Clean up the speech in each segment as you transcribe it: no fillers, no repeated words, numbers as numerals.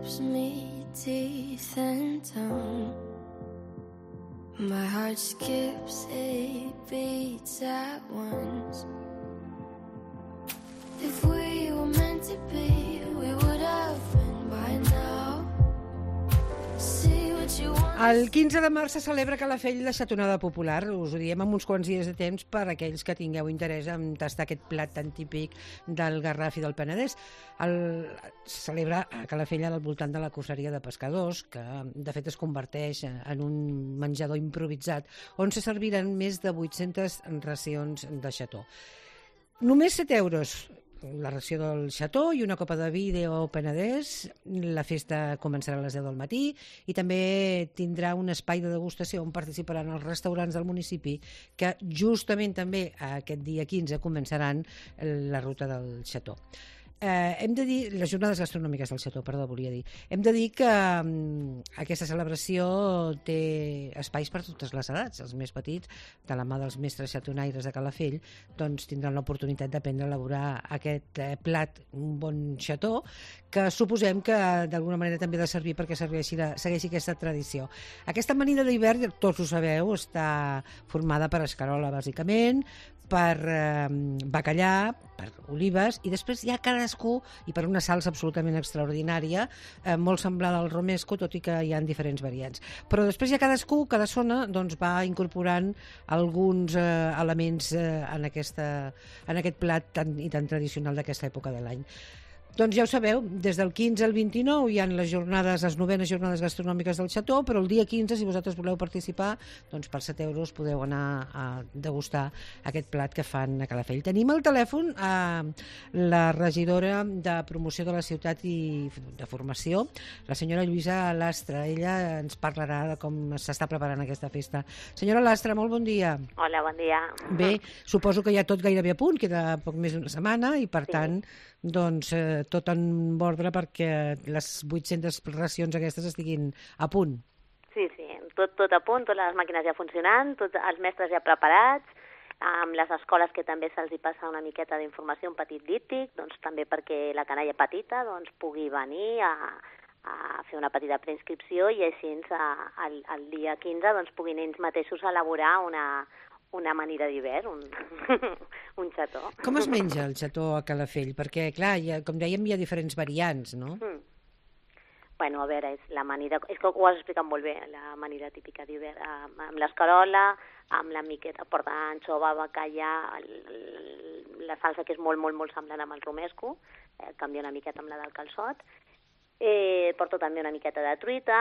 gives me teeth and tongue. My heart skips 8 beats at once. If we were meant to be, we would have been by now. See what you want. El 15 de març se celebra a Calafell la xatonada popular. Us ho diem amb uns quants dies de temps per a aquells que tingueu interès en tastar aquest plat tan típic del Garraf i del Penedès. Se celebra a Calafell al voltant de la cosseria de pescadors, que de fet es converteix en un menjador improvisat, on se serviran més de 800 racions de xató. Només 7 euros la ració del xató i una copa de vi d'O Penedès. La festa començarà a les 10 del matí i també tindrà un espai de degustació on participaran els restaurants del municipi que justament també aquest dia 15 començaran la ruta del xató. Hem de dir, les jornades gastronòmiques del xató, perdó, volia dir. Hem de dir que aquesta celebració té espais per totes les edats. Els més petits, de la mà dels mestres xatonaires de Calafell, doncs tindran l'oportunitat d'aprendre a elaborar aquest plat, un bon xató, que suposem que d'alguna manera també ha de servir perquè segueixi aquesta tradició. Aquesta amanida d'hivern, tots ho sabeu, està formada per escarola, bàsicament, per bacallà, per olives, i després hi ha cadascú, i per una salsa absolutament extraordinària, molt semblada al romesco, tot i que hi ha diferents variants. Però després hi ha cadascú, cada zona, doncs va incorporant alguns elements en aquest plat tan tradicional d'aquesta època de l'any. Doncs ja ho sabeu, des del 15 al 29 hi ha les 9enes jornades gastronòmiques del xató, però el dia 15, si vosaltres voleu participar, doncs per 7 euros podeu anar a degustar aquest plat que fan a Calafell. Tenim al telèfon la regidora de promoció de la ciutat i de formació, la senyora Lluïsa Lastra. Ella ens parlarà de com s'està preparant aquesta festa. Senyora Lastra, molt bon dia. Hola, bon dia. Bé, suposo que ja tot gairebé a punt, queda poc més d'una setmana i per tant, doncs tot en ordre perquè les 800 racions aquestes estiguin a punt. Sí, tot a punt, totes les màquines ja funcionant, tots els mestres ja preparats, amb les escoles que també se'ls hi passa una miqueta d'informació, un petit díptic, doncs també perquè la canalla petita doncs, pugui venir a fer una petita preinscripció i així el dia 15 doncs, puguin ells mateixos elaborar una amanida d'hivern, un xató. Com es menja el xató a Calafell? Perquè, clar, com dèiem, hi ha diferents variants, no? Bueno, a veure, és que ho has explicat molt bé, l'amanida típica d'hivern, amb l'escarola, amb la miqueta, porta anxova, bacallà, la salsa que és molt, molt, molt semblant amb el romesco, canvia una miqueta amb la del calçot, porto també una miqueta de truita.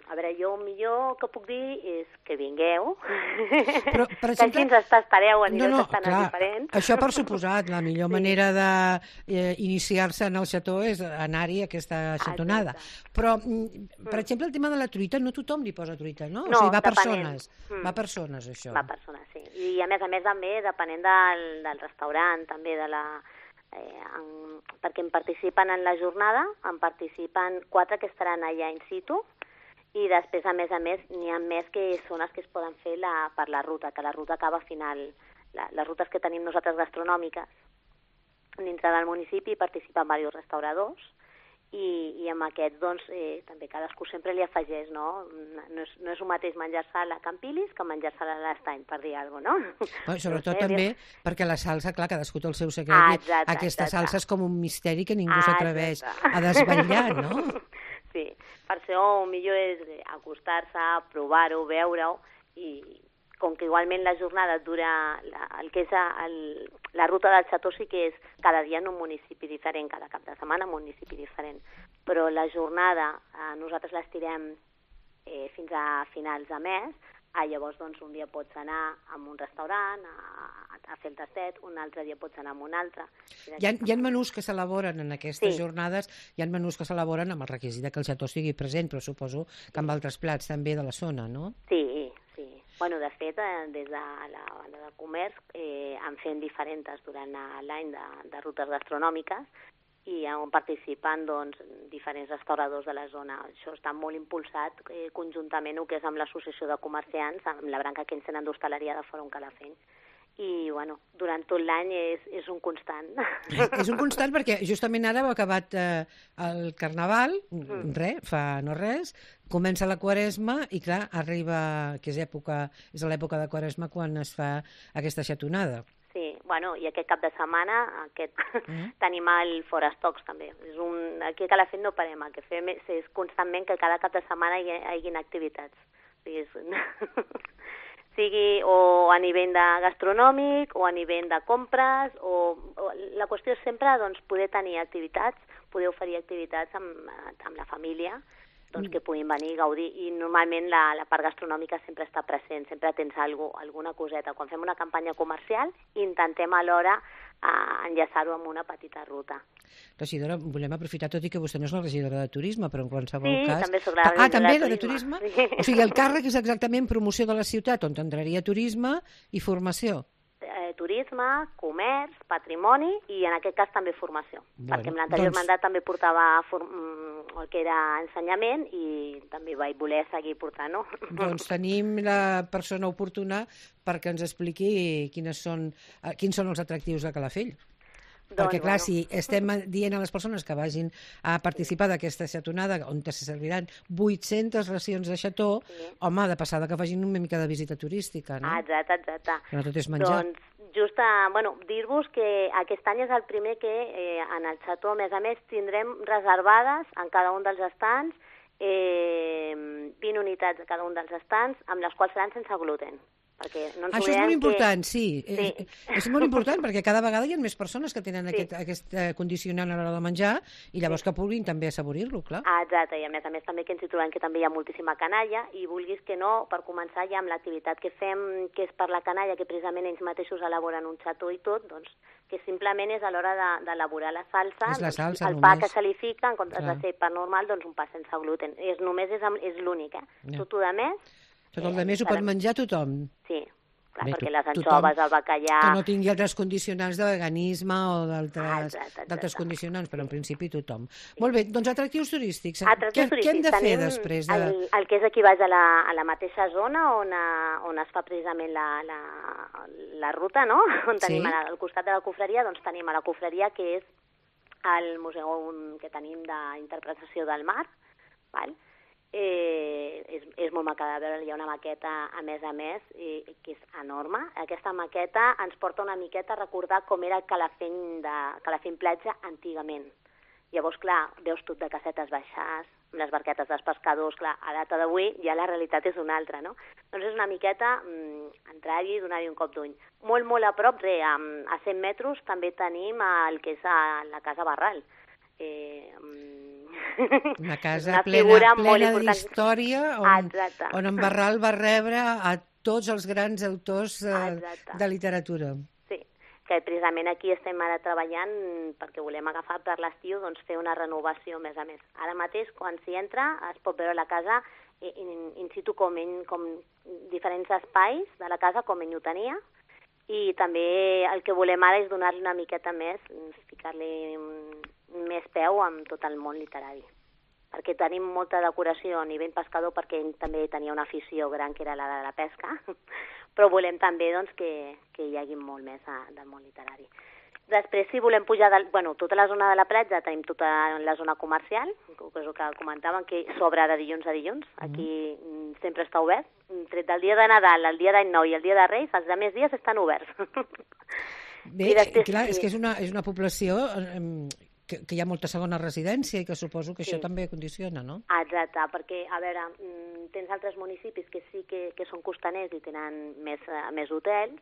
A veure, jo el millor que puc dir és que vingueu, però, per exemple, que així ens tastareu a nivells bastant diferents. Això per suposat, la millor manera d'iniciar-se en el xató és anar-hi a aquesta xatonada. Però, per exemple, el tema de la truita, no tothom li posa truita, no? No, o sigui, va persones. Va persones, això. Va persones, sí. I a més també, depenent del restaurant, també de la... perquè en participen en la jornada, en participen 4 que estaran allà in situ i després, a més, n'hi ha més que són les que es poden fer per la ruta, que la ruta acaba final. Les rutes que tenim nosaltres gastronòmiques dintre del municipi participen diversos restauradors i amb aquests, doncs, també cadascú sempre li afegeix, no? No és el mateix menjar-se a la Campilis que menjar-se a l'Estany, per dir alguna cosa, no? Sobretot també perquè la salsa, clar, cadascú té el seu secret. Aquesta salsa és com un misteri que ningú s'atreveix a desvetllar, no? Sí, per això el millor és acostar-se, provar-ho, veure-ho, i com que igualment la jornada dura el que és la ruta del xató, sí que és cada dia en un municipi diferent, cada cap de setmana en un municipi diferent, però la jornada nosaltres l'estirem fins a finals de mes. Llavors, doncs, un dia pots anar a un restaurant a fer el tastet, un altre dia pots anar a un altre. Hi ha menús que s'elaboren en aquestes jornades, hi ha menús que s'elaboren amb el requisit que el xató estigui present, però suposo que amb altres plats també de la zona, no? Sí. Bueno, de fet, des de la banda de comerç han fet diferents durant l'any de rutes gastronòmiques i on participen, doncs, diferents restauradors de la zona. Això està molt impulsat conjuntament el que és amb l'associació de comerciants, amb la branca que ens tenen d'hostaleria de Fòrum Calafell. i bueno, durant tot l'any és un constant. És un constant perquè justament ara heu acabat el Carnaval, fa no res, comença la Quaresma i clar, arriba, que és a l'època de Quaresma quan es fa aquesta xatonada. Sí, bueno, i aquest cap de setmana tenim el Forestocs també. Aquí a Calafell no parem, el que fem és constantment que cada cap de setmana hi hagin activitats. Sigui o a nivell de gastronòmic o a nivell de compres, la qüestió és sempre doncs, poder tenir activitats, poder oferir activitats amb la família, doncs, que puguin venir i gaudir, i normalment la part gastronòmica sempre està present, sempre tens alguna coseta. Quan fem una campanya comercial intentem alhora enllaçar-ho amb una petita ruta. Regidora, volem aprofitar, tot i que vostè no és la regidora de turisme, però en qualsevol cas... Sí, també soc la regidora de turisme. O sigui, el càrrec és exactament promoció de la ciutat, on entraria turisme i formació. Turisme, comerç, patrimoni i en aquest cas també formació, perquè en l'anterior mandat també portava el que era ensenyament i també vaig voler seguir portant-ho. Doncs tenim la persona oportuna perquè ens expliqui quins són els atractius de Calafell. Perquè, clar, si estem dient a les persones que vagin a participar d'aquesta xatonada on se serviran 800 racions de xató, home, de passada que facin una mica de visita turística, no? Exacte. Que no tot és menjar. Doncs, dir-vos que aquest any és el primer que en el xató, a més, tindrem reservades en cada un dels estants 20 unitats a cada un dels estants, amb les quals seran sense gluten. Això és molt important, sí. És molt important perquè cada vegada hi ha més persones que tenen aquest condicionant a l'hora de menjar i llavors que puguin també assaborir-lo, clar. Exacte, i a més també que ens hi trobem que també hi ha moltíssima canalla i vulguis que no, per començar ja amb l'activitat que fem, que és per la canalla, que precisament ells mateixos elaboren un xató i tot, doncs que simplement és a l'hora d'elaborar la salsa, el pa que se li fica, en comptes de ser pa normal, doncs un pa sense gluten. Només és l'únic, Tot el més... Tot el més ho pot menjar tothom. Sí, clar, perquè les anxoves, el bacallà... Que no tingui altres condicionants de veganisme o d'altres condicionants, però en principi tothom. Molt bé, doncs atractius turístics. Què hem de fer després? El que és aquí baix a la mateixa zona on es fa precisament la ruta, no? On tenim al costat de la cofreria, doncs tenim a la cofreria, que és el museu que tenim d'interpretació del mar, val? És molt maca de veure, hi ha una maqueta a més que és enorme. Aquesta maqueta ens porta una miqueta a recordar com era Calafell platja antigament. Llavors, clar, veus tot de casetes baixars, amb les barquetes dels pescadors, clar, a data d'avui ja la realitat és una altra, no? Doncs és una miqueta entrar-hi i donar-hi un cop d'ull. Molt, molt a prop, a 100 metres, també tenim el que és la Casa Barral. Una casa plena d'història on en Barral va rebre a tots els grans autors de literatura. Sí, que precisament aquí estem ara treballant perquè volem agafar per l'estiu, doncs fer una renovació més a més. Ara mateix, quan s'hi entra, es pot veure la casa in situ com diferents espais de la casa com ell ho tenia, i també el que volem ara és donar-li una miqueta més, ficar-li més peu amb tot el món literari. Perquè tenim molta decoració a nivell pescador, perquè ell també tenia una afició gran que era la de la pesca, però volem també doncs, que hi hagi molt més del món literari. Després, si volem pujar... tota la zona de la platja tenim tota la zona comercial, que és el que comentàvem, que s'obre de dilluns a dilluns. Aquí sempre està obert. Tret del dia de Nadal, el dia d'Any Nou i el dia de Reis, els altres dies estan oberts. Bé, clar, és que és una població que hi ha molta segona residència i que suposo que això també condiciona, no? Exacte, perquè, a veure, tens altres municipis que sí que són costaners i tenen més hotels,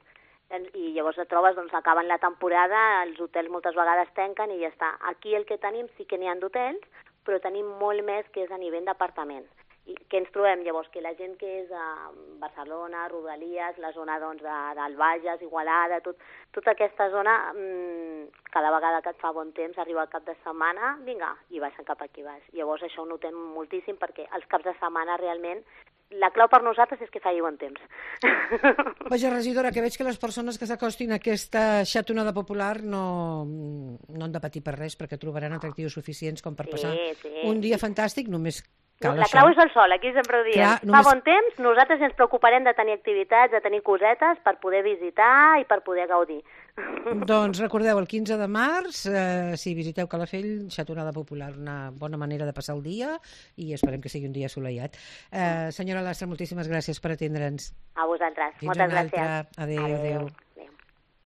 i llavors et trobes, doncs, acaben la temporada, els hotels moltes vegades tanquen i ja està. Aquí el que tenim sí que n'hi ha d'hotels, però tenim molt més que és a nivell d'apartaments. I què ens trobem llavors? Que la gent que és a Barcelona, Rodalies, la zona doncs, del Bages, Igualada, tota aquesta zona, cada vegada que et fa bon temps, arriba el cap de setmana, vinga, i baixen cap aquí baix. Llavors això ho notem moltíssim perquè els caps de setmana realment la clau per nosaltres és que faci bon temps. Vaja, regidora, que veig que les persones que s'acostin a aquesta xatonada popular no han de patir per res perquè trobaran atractius suficients com per passar un dia fantàstic, només La clau és el sol, aquí sempre ho diem. Clar, Fa bon temps, nosaltres ens preocuparem de tenir activitats, de tenir cosetes per poder visitar i per poder gaudir. Doncs recordeu, el 15 de març, si visiteu Calafell, xatonada popular, una bona manera de passar el dia i esperem que sigui un dia assolellat. Senyora Lastra, moltíssimes gràcies per atendre'ns. A vosaltres. Fins Moltes una altra. gràcies. Adéu.